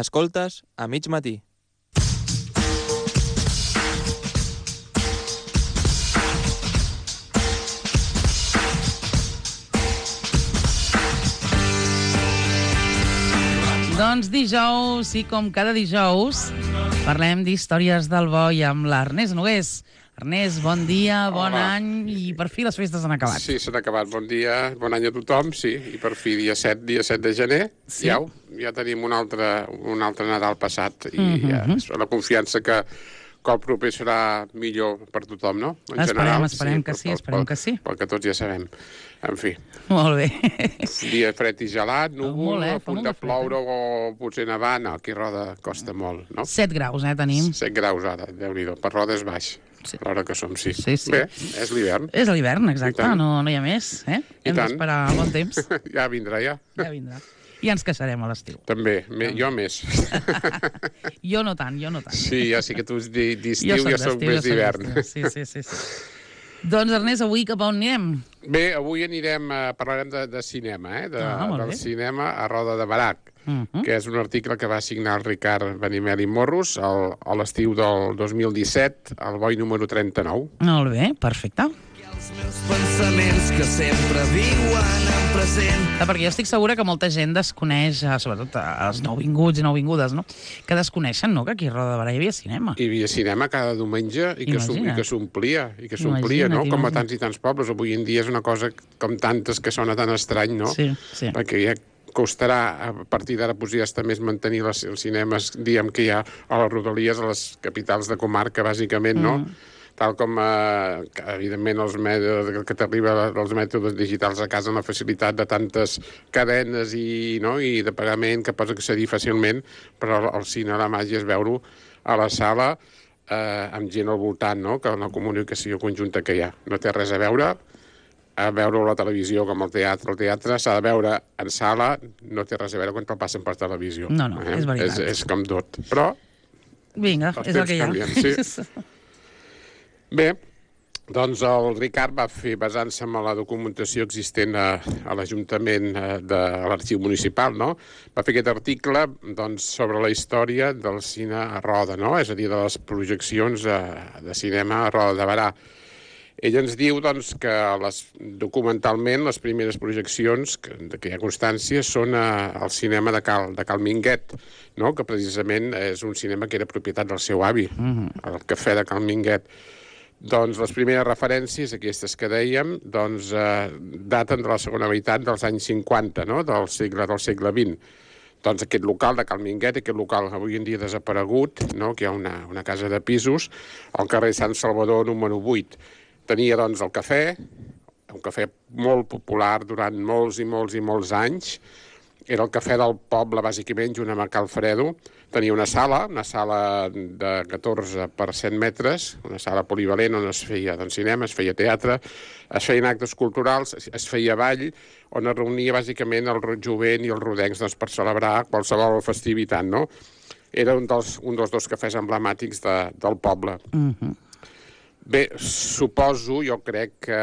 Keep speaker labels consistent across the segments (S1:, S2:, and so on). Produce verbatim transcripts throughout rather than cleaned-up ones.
S1: Escoltes a mig matí.
S2: Doncs dijous, sí, com cada dijous, parlem d'històries del bo i amb l'Ernest Nogués. Ernest, bon dia, bon
S3: Hola.
S2: any i per fi les festes han acabat.
S3: Sí, s'han acabat. Bon dia, bon any a tothom, sí. I per fi, dia set, dia set de gener,
S2: Sí.
S3: ja, ja tenim un altre, un altre Nadal passat. I
S2: Mhm.
S3: ja, la confiança que, que el proper serà millor per tothom, no? En
S2: Esperem,
S3: general,
S2: esperem que sí,
S3: pel-
S2: esperem
S3: pel-
S2: que sí.
S3: Pel que tots ja sabem. En fi,
S2: Molt bé.
S3: dia fred i gelat,
S2: Molt,
S3: núvol,
S2: eh?
S3: a
S2: Fa
S3: punt
S2: molt
S3: de
S2: de fred,
S3: ploure o potser nevar. No, aquí a Roda costa molt, no?
S2: set graus, eh, tenim.
S3: set graus ara, Déu-n'hi-do. Per Roda és baix,
S2: Sí.
S3: a l'hora que som, sí.
S2: Sí, sí.
S3: Bé, és l'hivern.
S2: És l'hivern,
S3: I
S2: exacte,
S3: tant.
S2: no, no hi ha més, eh?
S3: I
S2: Hem
S3: tant.
S2: d'esperar el bon temps,
S3: Ja vindrà, ja.
S2: ja vindrà. I ens queixarem a l'estiu.
S3: També, me, jo més.
S2: Jo no tant, jo no tant.
S3: Sí, ja sé que tu di- d'estiu, jo soc
S2: d'estiu,
S3: més
S2: soc
S3: d'hivern.
S2: d'estiu. Sí, sí, sí, sí. Doncs, Ernest, avui cap a on anirem?
S3: Bé, avui anirem, eh, parlarem de, de cinema, eh? De,
S2: Ah, molt
S3: del
S2: bé.
S3: cinema a Roda de Barac,
S2: Mhm.
S3: que és un article que va signar el Ricard Benimeli Morros al, a l'estiu del dos mil disset, al boi número trenta-nou.
S2: Molt bé, perfecte.
S4: Els meus pensaments que sempre viuen en present.
S2: Ah, perquè jo estic segura que molta gent desconeix, eh, sobretot eh, els nouvinguts i nouvingudes, no? Que desconeixen, no?, que aquí a Roda de Barà hi havia cinema.
S3: Hi havia cinema cada diumenge i que s'om- i
S2: Imagina't.
S3: que s'omplia, i que s'omplia,
S2: Imagina't,
S3: no? Com a
S2: imagina't.
S3: tants i tants pobles. Avui en dia és una cosa com tantes que sona tan estrany, no?
S2: Sí, sí.
S3: Perquè ja costarà, a partir d'ara, potser ja està més mantenir les, els cinemes, diguem que hi ha a les rodalies, a les capitals de comarca, bàsicament, no?
S2: Mm.
S3: Tal com, eh, que, evidentment, els mètodes que t'arriba els mètodes digitals a casa amb la facilitat de tantes cadenes i, no? I de pagament que pots accedir fàcilment, però el cine, la màgia és veure-ho a la sala eh, amb gent al voltant, no? Que la comunicació conjunta que hi ha. No té res a veure a veure a la televisió com el teatre. El teatre s'ha de veure en sala, no té res a veure quan te'l passen per televisió.
S2: No, no, és veritat.
S3: És, és com tot. Però
S2: Vinga,
S3: Els
S2: és el
S3: temps
S2: que hi ha.
S3: canvien, sí. bé, doncs el Ricard va fer, basant-se en la documentació existent a, a l'Ajuntament eh, de l'Arxiu Municipal, no? Va fer aquest article doncs, sobre la història del cine a Roda, no? És a dir, de les projeccions eh, de cinema a Roda de Barà. Ell ens diu doncs, que les, documentalment les primeres projeccions que, de què hi ha constància són a, al cinema de Cal, de Cal Minguet, no? Que precisament és un cinema que era propietat del seu avi, mm-hmm. el Cafè de Cal Minguet. Doncs les primeres referències, aquestes que dèiem, doncs, eh, daten de la segona meitat dels anys cinquanta, no? del segle del segle vint. Doncs aquest local de Cal Minguet, aquest local avui en dia desaparegut, no? Que hi ha una, una casa de pisos, al carrer Sant Salvador número vuit. Tenia, doncs, el cafè, un cafè molt popular durant molts i molts i molts anys. Era el cafè del poble, bàsicament, junt amb Cal Fredo. Tenia una sala, una sala de catorze per cent metres, una sala polivalent on es feia doncs, cinema, es feia teatre, es feien actes culturals, es feia ball, on es reunia, bàsicament, el jovent i els rodencs doncs, per celebrar qualsevol festivitat, no? Era un dels, un dels dos cafès emblemàtics de, del poble.
S2: Mhm.
S3: Bé, suposo, jo crec que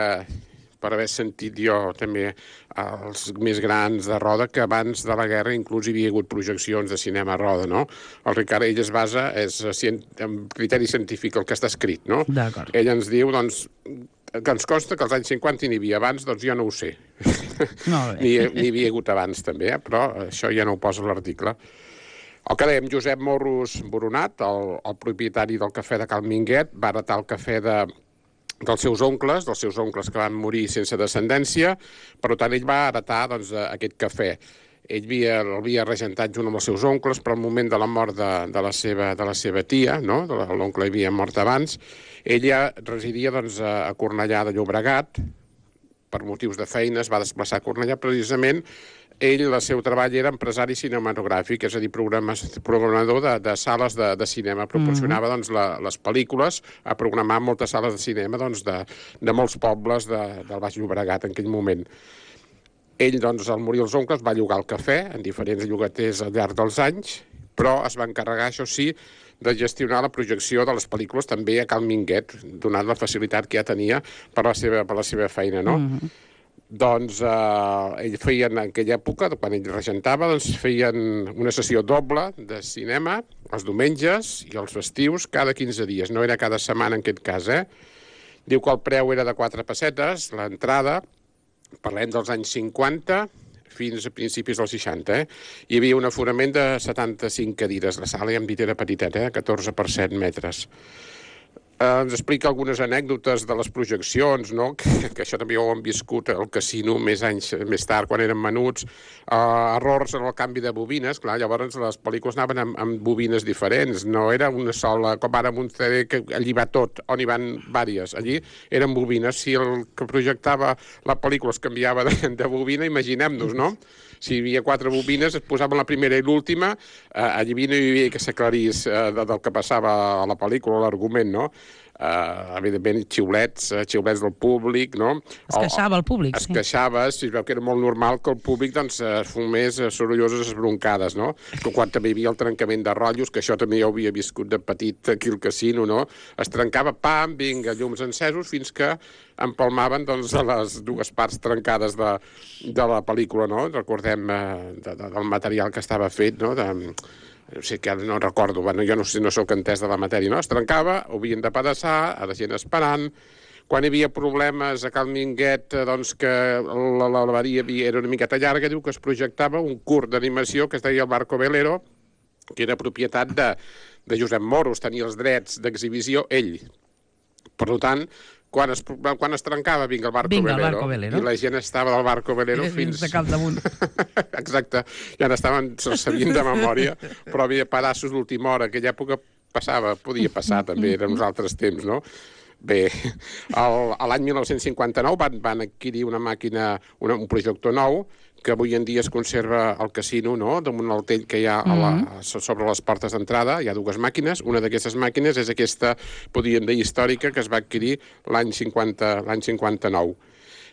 S3: per haver sentit jo també els més grans de Roda, que abans de la guerra inclús hi havia hagut projeccions de cinema a Roda, no? El Ricard, ell es basa, és en criteri científic el que està escrit, no?
S2: D'acord.
S3: Ell ens diu, doncs, que ens consta que als anys cinquanta n'hi havia abans, doncs jo no ho sé.
S2: Molt bé.
S3: N'hi n'hi havia hagut abans també, eh? Però això ja no ho posa a l'article. El que dèiem, Josep Morros Boronat, el, el propietari del cafè de Cal Minguet, va heretar el cafè de, dels seus oncles, dels seus oncles que van morir sense descendència, per tant ell va heretar doncs, aquest cafè. Ell havia, l'havia regentat junt amb els seus oncles, però al moment de la mort de, de, la, seva, de la seva tia, no? L'oncle havia mort abans, ella residia doncs, a Cornellà de Llobregat, per motius de feina es va desplaçar a Cornellà precisament. Ell, el seu treball era empresari cinematogràfic, és a dir, programador de, de sales de, de cinema. Proporcionava mm-hmm. doncs, la, les pel·lícules a programar moltes sales de cinema doncs, de, de molts pobles de, del Baix Llobregat en aquell moment. Ell, doncs, al morir els oncles, va llogar el cafè en diferents llogaters al llarg dels anys, però es va encarregar, això sí, de gestionar la projecció de les pel·lícules també a Cal Minguet, donant la facilitat que ja tenia per la seva, per la seva feina, no? Mm-hmm. Doncs eh, ell feien, en aquella època, quan ell regentava, doncs feien una sessió doble de cinema els diumenges i els festius cada quinze dies. No era cada setmana en aquest cas, eh? Diu que el preu era de quatre pessetes, l'entrada, parlem dels anys cinquanta fins a principis dels seixanta, eh? Hi havia un aforament de setanta-cinc cadires. La sala, ja hem dit, era petiteta, eh? catorze per set metres. Eh, ens explica algunes anècdotes de les projeccions, no? que, que això també ho hem viscut al casino més anys més tard, quan érem menuts, uh, errors en el canvi de bobines, clar, llavors les pel·lícules anaven amb, amb bobines diferents, no era una sola, com ara amb un C D que allí va tot, on hi van vàries, allí eren bobines, si el que projectava la pel·lícula es canviava de, de bobina, imaginem-nos, no? Si hi havia quatre bobines, es posaven la primera i l'última, eh, allí no hi havia que s'aclarís eh, del que passava a la pel·lícula, l'argument, no? Uh, evidentment, xiulets, uh, xiulets del públic, no?
S2: Es queixava el públic,
S3: es
S2: sí.
S3: Es queixava, si es veu que era molt normal que el públic doncs, es fumés sorolloses esbroncades, no? Que quan també hi havia el trencament de rotllos, que això també ja ho havia viscut de petit aquí al casino, no? Es trencava, pam, vinga, llums encesos, fins que empalmaven doncs, a les dues parts trencades de, de la pel·lícula, no? Recordem eh, de, de, del material que estava fet, no? De, no sé, que no recordo, bueno, jo no sé, no soc entès de la matèria, no? Es trencava, ho havien de pedaçar, a la gent esperant. Quan hi havia problemes a Cal Minguet, doncs que la, la avaria era una miqueta llarga, diu que es projectava un curt d'animació que es deia el Barco Velero, que era propietat de, de Josep Moros, tenia els drets d'exhibició ell. Per tant, quan es, quan es trencava, vinga, el Barco,
S2: vinga, el
S3: Velero,
S2: Barco Velero,
S3: i la gent estava del Barco Velero fins...
S2: de cap damunt.
S3: Exacte, ja n'estaven sabint de memòria, però havia pedaços d'última hora, aquella època passava, podia passar també, eren uns altres temps, no? Bé, l'any mil nou-cents cinquanta-nou van, van adquirir una màquina, una, un projector nou, que avui en dia es conserva al casino, no?, damunt el tell que hi ha a la, sobre les portes d'entrada. Hi ha dues màquines. Una d'aquestes màquines és aquesta, podríem dir, històrica, que es va adquirir l'any cinquanta, l'any cinquanta-nou.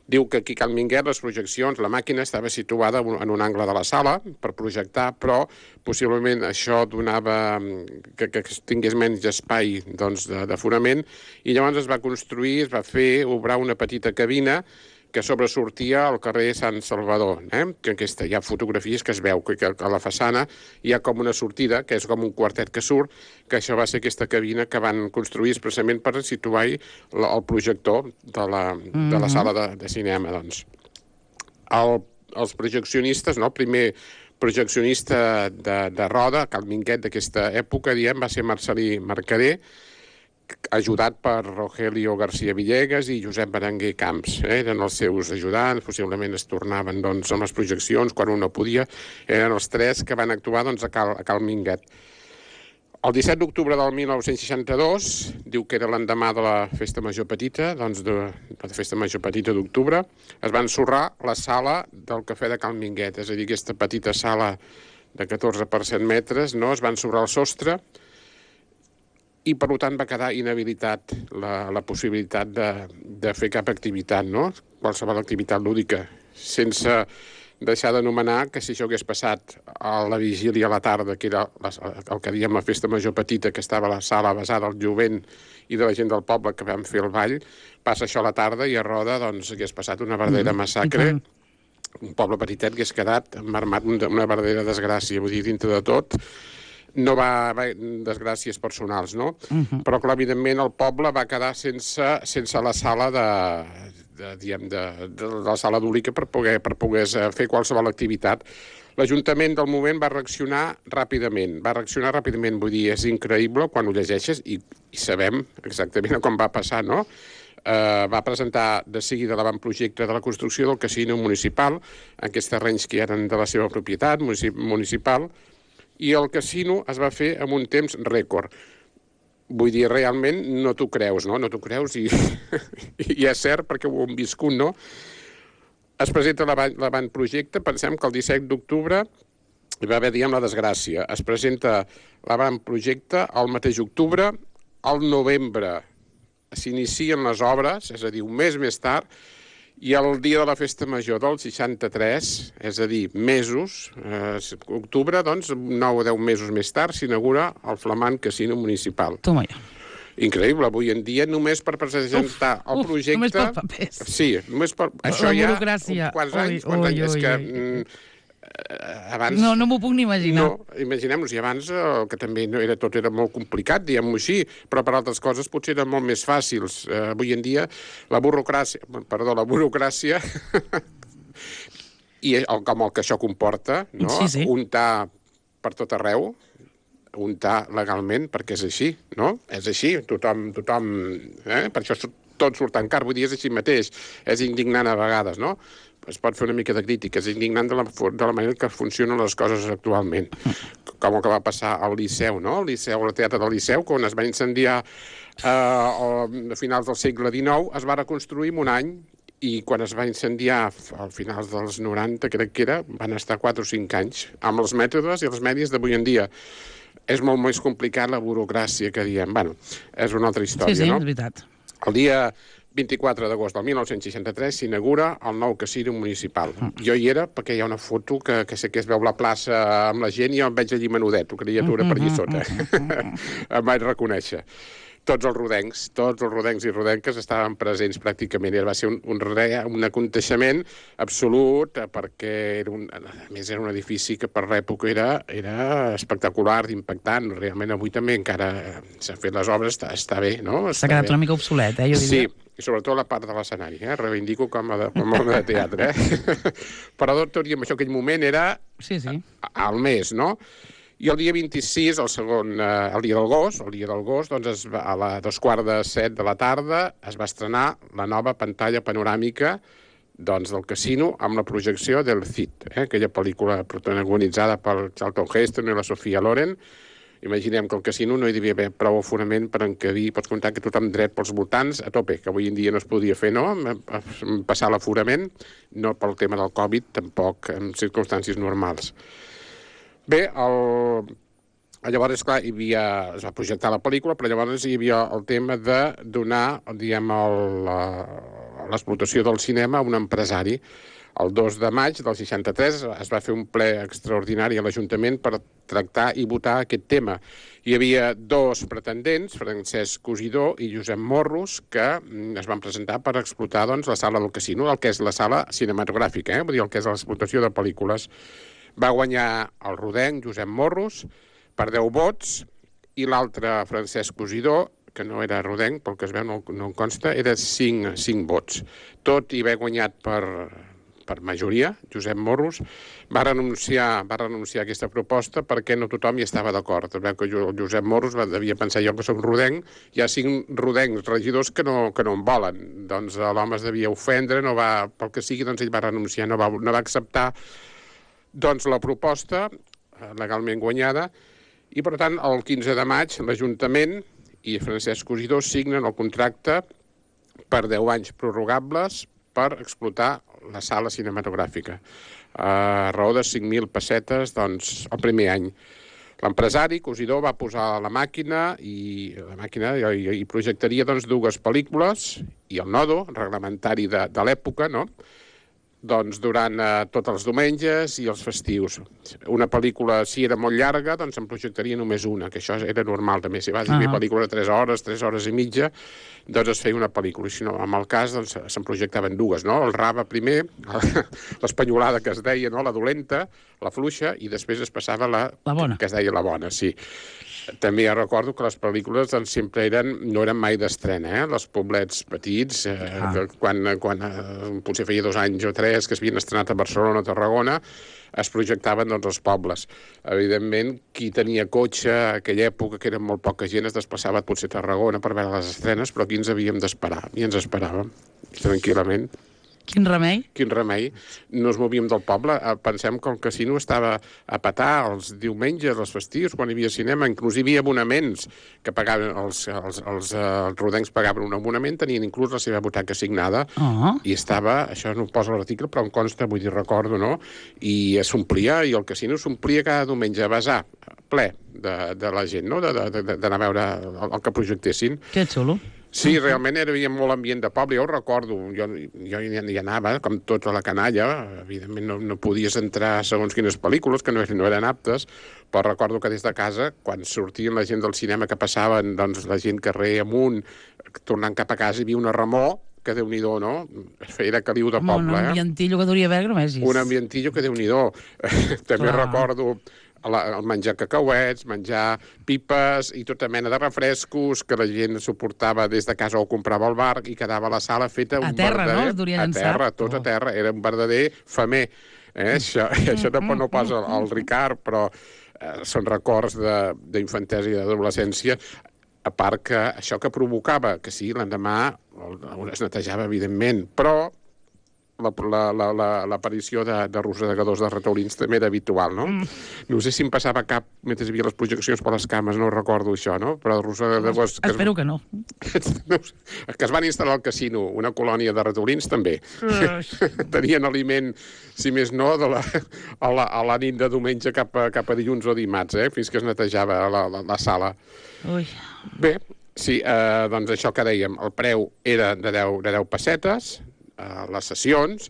S3: Diu que aquí a Cal Minguet les projeccions, la màquina estava situada en un angle de la sala per projectar, però possiblement això donava que, que tingués menys espai doncs, d'aforament, i llavors es va construir, es va fer, obrar una petita cabina que sobresortia al carrer Sant Salvador, eh? Que aquesta, hi ha fotografies que es veu que, que a la façana hi ha com una sortida, que és com un quartet que surt, que això va ser aquesta cabina que van construir expressament per situar-hi el projector de la, mm-hmm. de la sala de, de cinema, doncs. El, els projeccionistes, no? El primer projeccionista de, de roda, Cal Minguet d'aquesta època, diem, va ser Marcelí Mercader, ajudat per Rogelio García Villegas i Josep Berenguer Camps. Eh? Eren els seus ajudants, possiblement es tornaven doncs, amb les projeccions quan un no podia. Eren els tres que van actuar doncs, a, Cal, a Cal Minguet. El disset d'octubre del mil nou-cents seixanta-dos, diu que era l'endemà de la Festa Major Petita, doncs de, de la Festa Major Petita d'octubre, es va ensorrar la sala del Cafè de Cal Minguet, és a dir, aquesta petita sala de catorze per set metres, no? Es va ensorrar el sostre, i per tant va quedar inhabilitat la, la possibilitat de, de fer cap activitat, no? Qualsevol activitat lúdica, sense deixar d'anomenar que si això hagués passat a la vigília a la tarda, que era la, el que diem la Festa Major Petita, que estava a la sala basada al jovent i de la gent del poble que vam fer el ball, passa això a la tarda i a Roda doncs, hagués passat una verdadera massacre, un poble petitet que hagués quedat marmat una verdadera desgràcia, vull dir, dintre de tot, no va haver desgràcies personals, no? Uh-huh. Però, clar, evidentment, el poble va quedar sense, sense la sala de, de, diguem, de, de, de la sala d'Úlica per poder, per poder fer qualsevol activitat. L'Ajuntament del moment va reaccionar ràpidament. Va reaccionar ràpidament, vull dir, és increïble quan ho llegeixes i, i sabem exactament com va passar, no? Uh, va presentar de seguida l'avantprojecte de la construcció del casino municipal, aquests terrenys que eren de la seva propietat municipal, i el casino es va fer en un temps rècord. Vull dir, realment no t'ho creus, no? No t'ho creus i, i és cert perquè ho hem viscut, no? Es presenta l'avantprojecte, pensem que el disset d'octubre hi va haver, diguem, la desgràcia. Es presenta l'avantprojecte el mateix octubre, al novembre s'inicien les obres, és a dir, un mes més tard, i el dia de la Festa Major del seixanta-tres, és a dir, mesos, eh, octubre, doncs, nou o deu mesos més tard, s'inaugura el flamant casino municipal.
S2: Toma ja.
S3: Increïble, avui en dia, només per presentar
S2: Uf,
S3: el
S2: uf,
S3: projecte...
S2: només per papers.
S3: Sí, només per...
S2: La
S3: Això ja...
S2: burocràcia.
S3: Quants
S2: Ui,
S3: anys? Quants
S2: ui,
S3: anys? És
S2: ui,
S3: que...
S2: ui.
S3: mm, eh, abans...
S2: No, no m'ho puc ni imaginar.
S3: No, imaginem-nos, i abans eh, que també no era, tot era molt complicat, diguem-ho així, però per altres coses potser eren molt més fàcils. Eh, avui en dia, la burocràcia... Perdó, la burocràcia... i el, com el que això comporta, no?
S2: Sí, sí.
S3: Untar per tot arreu, untar legalment, perquè és així, no? És així, tothom... tothom eh? Per això tot surt tan car, vull dir, és així mateix. És indignant a vegades, no? Es pot fer una mica de crítica, és indignant de la, de la manera que funcionen les coses actualment. Com el que va passar al Liceu, no? Al Liceu, al Teatre del Liceu, quan es va incendiar eh, a finals del segle dinou, es va reconstruir en un any, i quan es va incendiar al finals dels noranta, crec que era, van estar quatre o cinc anys, amb els mètodes i els medis d'avui en dia. És molt més complicat la burocràcia que diem. Bueno, és una altra història,
S2: Sí, sí,
S3: no?
S2: és veritat.
S3: El dia vint-i-quatre d'agost del mil nou-cents seixanta-tres s'inaugura el nou casino municipal. Jo hi era perquè hi ha una foto que, que sé que es veu la plaça amb la gent i jo em veig allí menudet, criatura per allà sota. Em vaig reconèixer. Tots els rodencs, tots els rodencs i rodenques estaven presents pràcticament. I va ser un, un, re, un aconteixement absolut, perquè era un, a més era un edifici que per l'època era, era espectacular, impactant. Realment avui també encara s'han fet les obres, està, està bé, no?
S2: S'ha quedat bé. Una mica obsolet, eh? Jo
S3: sí,
S2: diria.
S3: i sobretot la part de l'escenari, eh? Reivindico com a, de, com a de teatre, eh? Però tot i amb això, aquell moment era
S2: sí, sí.
S3: al mes, no? I el dia vint-i-sis, el segon, eh, el dia del gos, el dia del gos, doncs es va, a la dos quarts de set de la tarda es va estrenar la nova pantalla panoràmica doncs, del casino amb la projecció del Cid, eh, aquella pel·lícula protagonitzada per Charlton Heston i la Sofia Loren. Imaginem que al casino no hi devia haver prou aforament per encabir, pots comptar que tothom dret pels voltants a tope, que avui en dia no es podia fer, no?, passar l'aforament, no pel tema del Covid, tampoc en circumstàncies normals. Bé, el... llavors, clar, hi havia... es va projectar la pel·lícula, però llavors hi havia el tema de donar, diguem, l'explotació del cinema a un empresari. El dos de maig del seixanta-tres es va fer un ple extraordinari a l'Ajuntament per tractar i votar aquest tema. Hi havia dos pretendents, Francesc Cosidó i Josep Morros, que es van presentar per explotar doncs, la sala del casino, el que és la sala cinematogràfica, eh? Vull dir, el que és l'explotació de pel·lícules. Va guanyar el rodenc Josep Morros per deu vots i l'altre, Francesc Cosidó, que no era rodenc, pel que es veu no, no en consta, era cinc, cinc vots. Tot i haver guanyat per, per majoria, Josep Morros, va renunciar, va renunciar a aquesta proposta perquè no tothom hi estava d'acord. Es veu que el Josep Morros va, devia pensar, jo que soc rodenc, hi ha cinc rodencs regidors que no, que no en volen. Doncs l'home es devia ofendre, no va, pel que sigui, doncs ell va renunciar, no va, no va acceptar doncs la proposta, legalment guanyada, i per tant el quinze de maig l'Ajuntament i Francesc Cosidó signen el contracte per deu anys prorrogables per explotar la sala cinematogràfica. A raó de cinc mil pessetes doncs, el primer any. L'empresari, Cosidó, va posar la màquina i la màquina i, i projectaria doncs, dues pel·lícules i el nodo reglamentari de, de l'època, no?, doncs durant eh, tots els diumenges i els festius. Una pel·lícula, si era molt llarga, doncs en projectaria només una, que això era normal també. Si vas a fer uh-huh. pel·lícula de tres hores, tres hores i mitja, doncs es feia una pel·lícula. I si no, en el cas, doncs se'n projectaven dues, no? El rave primer, l'espanyolada que es deia, no? La dolenta, la fluixa, i després es passava la,
S2: la bona.
S3: Que es deia la bona, sí. També ja recordo que les pel·lícules doncs, sempre eren, no eren mai d'estrena, eh? Els poblets petits, eh, ah. que quan, quan eh, potser feia dos anys o tres que es havien estrenat a Barcelona o Tarragona, es projectaven doncs, els pobles. Evidentment, qui tenia cotxe a aquella època, que era molt poca gent, es desplaçava potser a Tarragona per veure les estrenes, però aquí ens havíem d'esperar, i ens esperàvem, tranquil·lament.
S2: Quin remei?
S3: Quin remei. No ens movíem del poble. Pensem que el casino estava a petar els diumenges, els festius, quan hi havia cinema. Inclús hi havia abonaments que pagaven, els, els, els, els rodencs pagaven un abonament, tenien inclús la seva butaca assignada,
S2: oh.
S3: i estava, això no ho posa l'article, però em consta, vull dir, recordo, no? I s'omplia, i el casino s'omplia cada diumenge a besar, ple de, de la gent, no? D'anar a veure el, el que projectessin.
S2: Que xulo.
S3: Sí, realment hi havia molt ambient de poble, jo ho recordo, jo, jo hi, hi anava, com tota la canalla, evidentment no, no podies entrar segons quines pel·lícules, que no, no eren aptes, però recordo que des de casa, quan sortien la gent del cinema que passaven, doncs la gent carrer amunt, tornant cap a casa, hi havia una remor, que Déu-n'hi-do, no? Era caliu de
S2: Home,
S3: poble,
S2: un
S3: eh?
S2: ambientillo que duria haver Gromèsis.
S3: Un ambientillo que Déu-n'hi-do. També
S2: Clar.
S3: recordo la, el menjar cacauets, menjar pipes i tota mena de refrescos que la gent suportava des de casa o comprava al bar i quedava a la sala feta
S2: A
S3: un
S2: terra, no?
S3: verdader...
S2: Es duria
S3: a
S2: llançat.
S3: terra, tot a terra. Era un verdader femer. Eh? Això, això no, no pas el, el Ricard, però eh, són records d'infantesa i d'adolescència. A part que això que provocava, que sí, l'endemà es netejava, evidentment, però l'aparició la, la, la, de, de rosegadors de rataulins també era habitual, no? Mm. No sé si em passava cap mentre hi havia les projeccions per les cames, no recordo això, no? Però rosegadors... Que
S2: Espero
S3: es,
S2: que no.
S3: que es van instal·lar al casino, una colònia de rataulins també. Tenien aliment, si més no, de la, a, la, a la nit de diumenge cap a, cap a dilluns o dimarts, eh? Fins que es netejava la, la, la sala.
S2: Ui.
S3: Bé, sí, eh, doncs això que dèiem, el preu era de deu, de deu pessetes, a les sessions,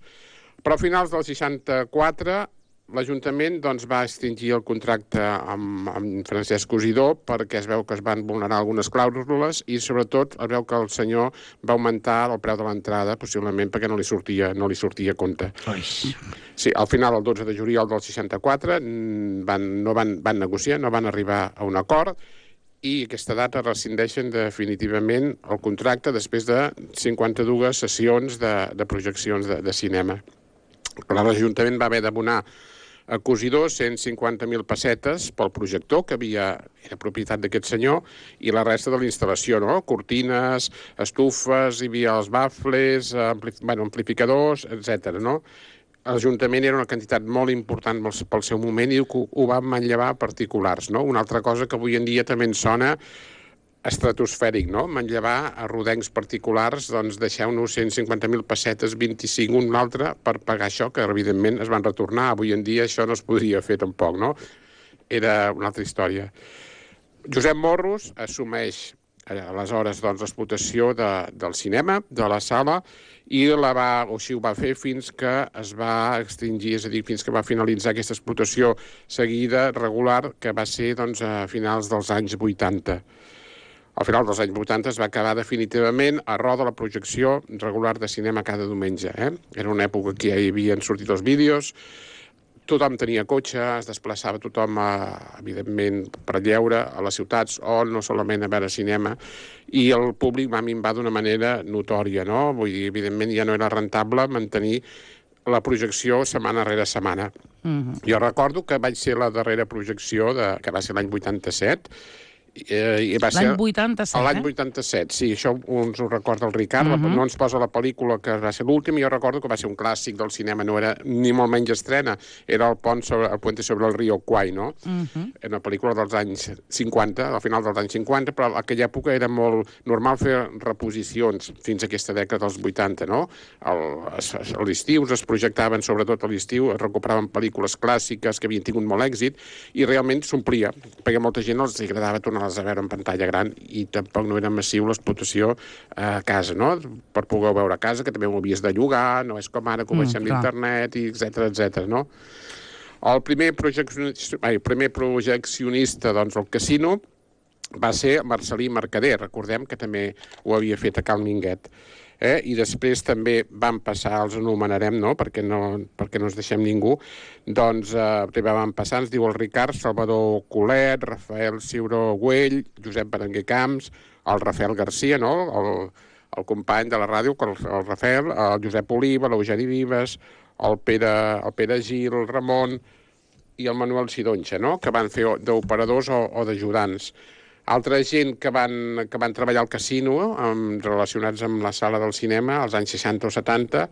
S3: però a finals del seixanta-quatre l'Ajuntament doncs, va extingir el contracte amb, amb Francesc Cosidó perquè es veu que es van vulnerar algunes clàusules i sobretot es veu que el senyor va augmentar el preu de l'entrada, possiblement perquè no li sortia, no li sortia a compte.
S2: Ui.
S3: Sí, al final, el dotze de juliol del seixanta-quatre, van, no van, van negociar, no van arribar a un acord, i aquesta data rescindeixen definitivament el contracte després de cinquanta-dues sessions de, de projeccions de, de cinema. Però l'Ajuntament va haver d'abonar a Cosidó cent cinquanta mil pessetes pel projector, que havia, era propietat d'aquest senyor, i la resta de la instal·lació, no? Cortines, estufes, hi havia els bafles, ampli, bueno, amplificadors, etcètera, no? L'Ajuntament era una quantitat molt important pel seu moment i ho, ho va manllevar a particulars, no? Una altra cosa que avui en dia també ens sona estratosfèric, no? Manllevar a rodencs particulars, doncs deixeu-nos cent cinquanta mil pessetes, vint-i-cinc un altre, per pagar això, que evidentment es van retornar. Avui en dia això no es podria fer tampoc, no? Era una altra història. Josep Morros assumeix aleshores doncs, l'explotació de, del cinema, de la sala, i la va, o així ho va fer fins que es va extingir, és a dir, fins que va finalitzar aquesta explotació seguida, regular, que va ser doncs, a finals dels anys vuitanta. Al final dels anys vuitanta es va acabar definitivament a roda la projecció regular de cinema cada diumenge. Eh? Era una època que ja hi havien sortit els vídeos, tothom tenia cotxe, es desplaçava tothom, a, evidentment, per lleure a les ciutats o no solament a veure cinema, i el públic va minvar d'una manera notòria, no? Vull dir, evidentment ja no era rentable mantenir la projecció setmana rere setmana. Mm-hmm. Jo recordo que vaig ser la darrera projecció, de, que va ser l'any vuitanta-set, Eh,
S2: l'any vuitanta-set,
S3: L'any vuitanta-set, sí, això ens ho recorda el Ricard, uh-huh. No ens posa la pel·lícula que va ser l'últim, i jo recordo que va ser un clàssic del cinema, no era ni molt menys estrena, era el pont sobre, el puente sobre el río Kwai, no? Uh-huh. Era una pel·lícula dels anys cinquanta, al final dels anys cinquanta, però en aquella època era molt normal fer reposicions fins a aquesta dècada dels vuitanta, no? El, a l'estiu es projectaven, sobretot a l'estiu, es recuperaven pel·lícules clàssiques que havien tingut molt èxit, i realment s'omplia, perquè molta gent els agradava tornar a veure en pantalla gran i tampoc no era massiu l'explotació a casa, no? Per poder veure a casa, que també ho havies de llogar, no és com ara que ho baixem mm, d'internet, etcètera, etcètera, no? El primer projeccionista, ai, el primer projeccionista, doncs, al casino va ser Marcelí Mercader, recordem que també ho havia fet a Cal Minguet. Eh? I després també van passar, els anomenarem, no? perquè, no, perquè no ens deixem ningú, doncs eh, primer van passar, ens diu el Ricard, Salvador Colet, Rafael Ciuró Güell, Josep Berenguer Camps, el Rafael Garcia, no? el, el company de la ràdio, el, el Rafael, el Josep Oliva, l'Eugeni Vives, el Pere, el Pere Gil, el Ramon i el Manuel Sidonxa, no? que van fer d'operadors o, o d'ajudants. Altra gent que van, que van treballar al casino, amb, relacionats amb la sala del cinema, als anys seixanta o setanta,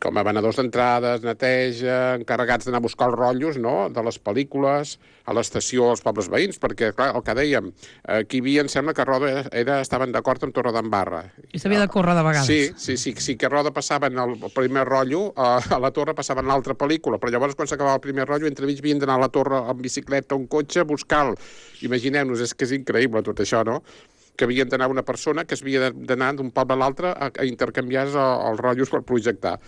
S3: com a venedors d'entrades, neteja, encarregats d'anar a buscar els rotllos, no?, de les pel·lícules, a l'estació als pobles veïns, perquè, clar, el que dèiem, aquí hi havia, em sembla que Roda era, era, estaven d'acord amb Torredembarra.
S2: I s'havia de córrer de vegades.
S3: Sí, sí, sí, sí que a Roda passaven el primer rotllo, a, a la Torre passaven l'altra pel·lícula, però llavors quan s'acabava el primer rotllo, entremig havien d'anar a la Torre amb bicicleta o un cotxe a buscar-lo. Imagineu-nos, és que és increïble tot això, no? que havia d'anar una persona que havia d'anar d'un poble a l'altre a, a intercanviar els, els rotllos per projectar.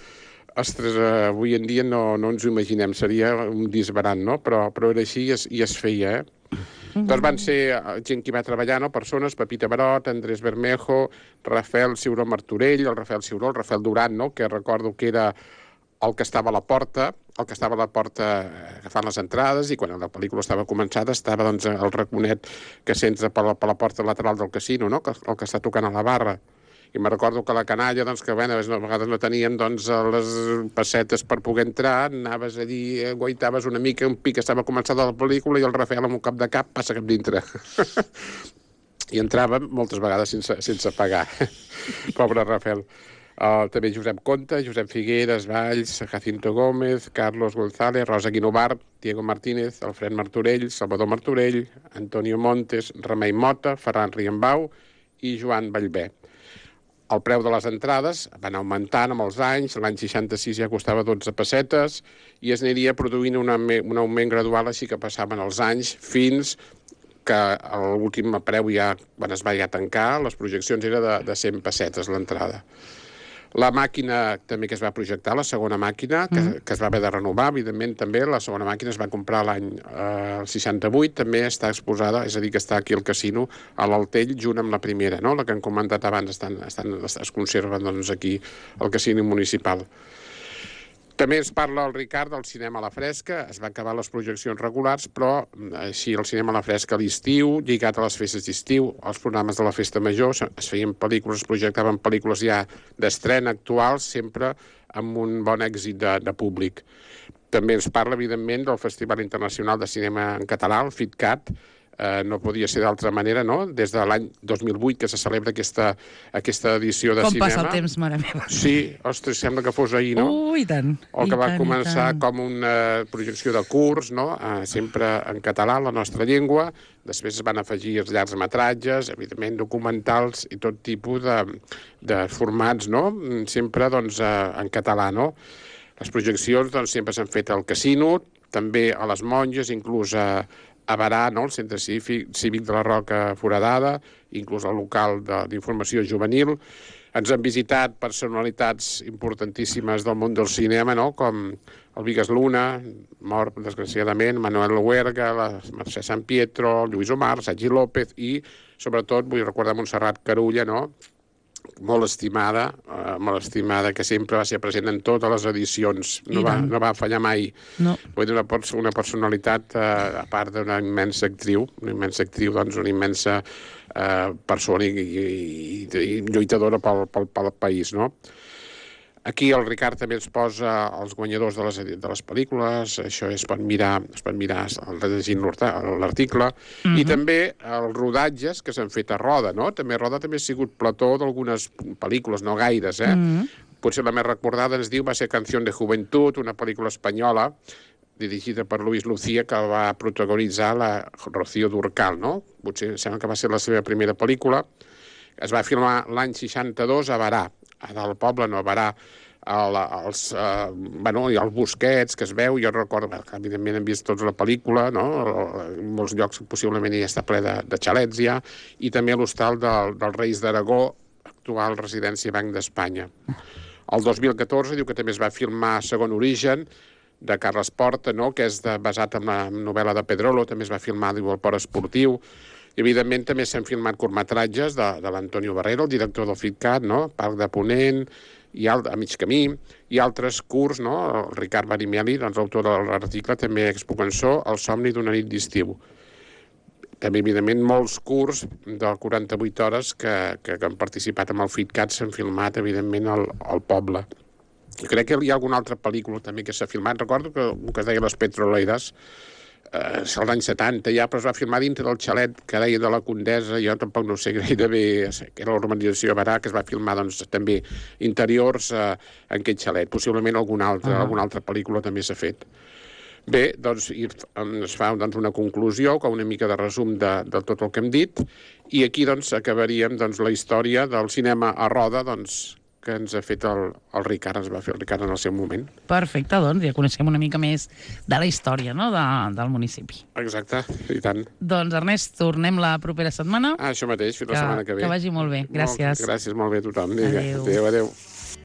S3: Ostres, eh, avui en dia no, no ens ho imaginem, seria un disbarat, no? Però, però era així i es, i es feia, eh? Mm-hmm. Doncs van ser gent que hi va treballar, no? Persones, Pepita Barot, Andrés Bermejo, Rafael Ciuró Martorell, el Rafael Ciuró, el Rafael Duran, no? Que recordo que era el que estava a la porta, el que estava a la porta agafant les entrades, i quan la pel·lícula estava començada estava doncs, el raconet que s'entra per, la, per la porta lateral del casino, no? Que, el que està tocant a la barra. I me recordo que la canalla, doncs, que bueno, a vegades no tenien doncs, les pessetes per poder entrar, anaves allí, guaitaves una mica, un pic, estava començada la pel·lícula i el Rafael amb un cap de cap passa cap dintre. I entrava moltes vegades sense, sense pagar. Pobre Rafael. Uh, també Josep Conta, Josep Figueres, Valls, Jacinto Gómez, Carlos González, Rosa Guinovart, Diego Martínez, Alfred Martorell, Salvador Martorell, Antonio Montes, Remei Mota, Ferran Riembau i Joan Vallvé. El preu de les entrades van augmentant amb els anys, l'any seixanta-sis ja costava dotze pessetes i es aniria produint una, un augment gradual, així que passaven els anys fins que l'últim preu ja, quan es va ja tancar, les projeccions era de, de cent pessetes l'entrada. La màquina també que es va projectar, la segona màquina, que, mm. que es va haver de renovar, evidentment també, la segona màquina es va comprar l'any eh, seixanta-vuit, també està exposada, és a dir, que està aquí al casino, a l'Altell, junt amb la primera, no? La que han comentat abans, estan, estan, es conserven doncs, aquí al casino municipal. També es parla el Ricard del cinema a la fresca, es van acabar les projeccions regulars, però així el cinema a la fresca a l'estiu, lligat a les festes d'estiu, els programes de la festa major, es feien pel·lícules, es projectaven pel·lícules ja d'estrena actuals, sempre amb un bon èxit de, de públic. També ens parla, evidentment, del Festival Internacional de Cinema en Català, el FITCAT, Eh, no podia ser d'altra manera, no? Des de l'any dos mil vuit que se celebra aquesta, aquesta edició de
S2: com
S3: cinema.
S2: Com passa el temps, mare meva.
S3: Sí, ostres, sembla que fos ahir, no?
S2: Uh, i tant.
S3: O que
S2: I
S3: va
S2: tant,
S3: començar com una projecció de curs, no? Eh, sempre en català, la nostra llengua. Després es van afegir els llargs metratges, evidentment documentals i tot tipus de, de formats, no? Sempre, doncs, eh, en català, no? Les projeccions, doncs, sempre s'han fet al casino, també a les Monges, inclús a a Barà, no? El Centre Cívic, Cívic de la Roca Foradada, inclús el local d'informació juvenil. Ens han visitat personalitats importantíssimes del món del cinema, no? Com el Vigas Luna, mort desgraciadament, Manuel Huerga, la Mercè San Pietro, Lluís Omar, Sergi López i, sobretot, vull recordar Montserrat Carulla, no? Molt estimada, eh, molt estimada, que sempre va ser present en totes les edicions, no, va, no va fallar mai. No. Vull dir, una, una personalitat, eh, a part d'una immensa actriu, una immensa actriu, doncs una immensa eh, persona i, i, i lluitadora pel, pel, pel país, no? Aquí el Ricard també ens posa els guanyadors de les, de les pel·lícules, això es pot mirar, es pot mirar llegint l'article, mm-hmm. I també els rodatges que s'han fet a Roda, no? També Roda també ha sigut plató d'algunes pel·lícules, no gaires, eh? Mm-hmm. Potser la més recordada, ens diu, va ser Canción de Juventud, una pel·lícula espanyola, dirigida per Luis Lucía, que va protagonitzar la Rocío Durcal, no? Potser sembla que va ser la seva primera pel·lícula. Es va filmar l'any seixanta-dos a Barà, del poble, no, a Barà, el, els, eh, bueno, hi ha els Busquets, que es veu, jo recordo, que evidentment hem vist tots la pel·lícula, no? En molts llocs possiblement ja està ple de, de xalets ja, i també l'hostal del, dels Reis d'Aragó, actual residència Banc d'Espanya. El dos mil catorze diu que també es va filmar Segon Origen, de Carles Porta, no? Que és de, basat en la novel·la de Pedrolo, també es va filmar, diu, el Port Esportiu. I, evidentment, també s'han filmat curtmetratges de, de l'Antonio Barrero, el director del FITCAT, no? Parc de Ponent, i al, a mig camí, i altres curts, no? El Ricard Barimeli, doncs, autor de l'article, també expo cançó, El somni d'una nit d'estiu. També, evidentment, molts curts de quaranta-vuit hores que, que, que han participat amb el FITCAT s'han filmat, evidentment, al, al poble. I crec que hi ha alguna altra pel·lícula també que s'ha filmat. Recordo que el que es deia Les Petroleiras, eh, és l'any setanta ja, però es va filmar dintre del xalet que deia de la Condesa, jo tampoc no sé gairebé, que era l'urbanització Barà, que es va filmar doncs, també interiors eh, en aquest xalet. Possiblement alguna altra, uh-huh. alguna altra pel·lícula també s'ha fet. Bé, doncs es fa doncs, una conclusió, com una mica de resum de, de tot el que hem dit, i aquí doncs acabaríem doncs, la història del cinema a Roda, doncs, que ens ha fet el, el Ricard, ens va fer el Ricard en el seu moment.
S2: Perfecte, doncs ja coneixem una mica més de la història, no?, de, del municipi.
S3: Exacte, i tant.
S2: Doncs, Ernest, tornem la propera setmana.
S3: Ah, això mateix, fins
S2: que,
S3: la setmana que ve.
S2: Que vagi molt bé. Gràcies.
S3: Molt, gràcies, molt bé a tothom.
S2: Adéu.
S3: Adéu, adéu.